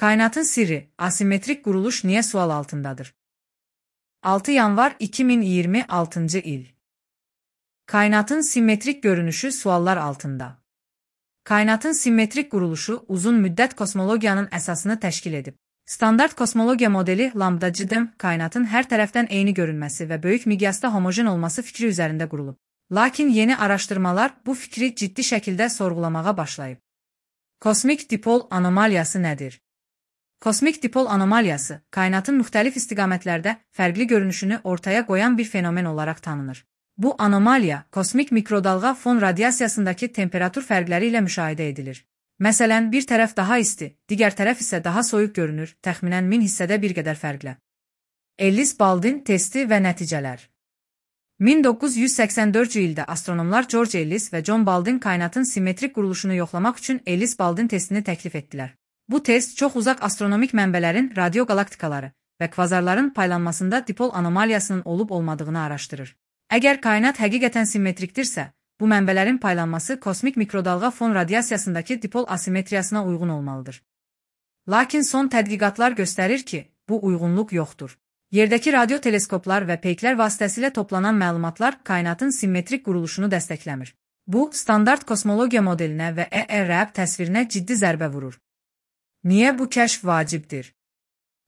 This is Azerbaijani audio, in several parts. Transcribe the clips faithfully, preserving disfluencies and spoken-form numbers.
Kainatın sirri, asimetrik quruluş niyə sual altındadır? altı yanvar iki min iyirmi altıncı il. Kainatın simmetrik görünüşü suallar altında. Kainatın simmetrik quruluşu uzun müddət kosmologiyanın əsasını təşkil edib. Standart kosmologiya modeli lambda-cdım kainatın hər tərəfdən eyni görünməsi və böyük miqyasda homojen olması fikri üzərində qurulub. Lakin yeni araşdırmalar bu fikri ciddi şəkildə sorğulamağa başlayıb. Kosmik dipol anomaliyası nədir? Kosmik dipol anomaliyası, kainatın müxtəlif istiqamətlərdə fərqli görünüşünü ortaya qoyan bir fenomen olaraq tanınır. Bu anomaliya, kosmik mikrodalğa fon radiasiyasındakı temperatur fərqləri ilə müşahidə edilir. Məsələn, bir tərəf daha isti, digər tərəf isə daha soyuq görünür, təxminən min hissədə bir qədər fərqlə. Ellis-Baldwin testi və nəticələr. min doqquz yüz səksən dördüncü ildə astronomlar George Ellis və John Baldwin kainatın simmetrik quruluşunu yoxlamaq üçün Ellis-Baldwin testini təklif etdilər. Bu test çox uzaq astronomik mənbələrin radiogalaktikaları və kvazarların paylanmasında dipol anomaliyasının olub-olmadığını araşdırır. Əgər kainat həqiqətən simmetrikdirsə, bu mənbələrin paylanması kosmik mikrodalğa fon radiasiyasındakı dipol asimetriyasına uyğun olmalıdır. Lakin son tədqiqatlar göstərir ki, bu uyğunluq yoxdur. Yerdəki radioteleskoplar və peyklər vasitəsilə toplanan məlumatlar kainatın simmetrik quruluşunu dəstəkləmir. Bu, standart kosmologiya modelinə və E E R A B təsvirinə ciddi zərbə vurur. Niyə bu kəşf vacibdir?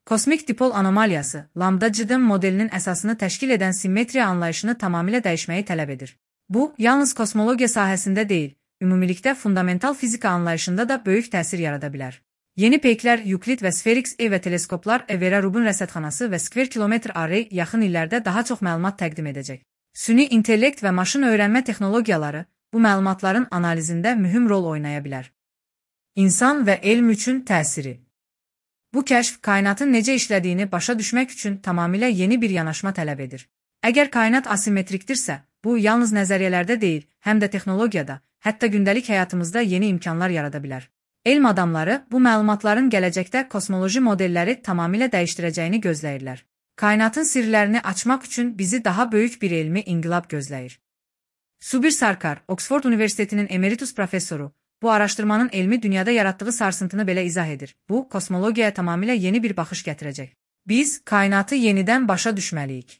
Kosmik dipol anomaliyası, lambda-cdım modelinin əsasını təşkil edən simmetriya anlayışını tamamilə dəyişməyi tələb edir. Bu, yalnız kosmologiya sahəsində deyil, ümumilikdə fundamental fizika anlayışında da böyük təsir yarada bilər. Yeni peyklər Yuklid və Sferix E və teleskoplar Evera Rubin rəsədxanası və Square Kilometre Array yaxın illərdə daha çox məlumat təqdim edəcək. Süni intellekt və maşın öyrənmə texnologiyaları bu məlumatların analizində mühüm rol oynaya bilər. İnsan və elm üçün təsiri. Bu kəşf kainatın necə işlədiyini başa düşmək üçün tamamilə yeni bir yanaşma tələb edir. Əgər kainat asimetrikdirsə, bu yalnız nəzəriyyələrdə deyil, həm də texnologiyada, hətta gündəlik həyatımızda yeni imkanlar yarada bilər. Elm adamları bu məlumatların gələcəkdə kosmoloji modelləri tamamilə dəyişdirəcəyini gözləyirlər. Kainatın sirlərini açmaq üçün bizi daha böyük bir elmi inqilab gözləyir. Subir Sarkar, Oxford Universitetinin emeritus professoru, bu araşdırmanın elmi dünyada yaratdığı sarsıntını belə izah edir. Bu, kosmologiyaya tamamilə yeni bir baxış gətirəcək. Biz kainatı yenidən başa düşməliyik.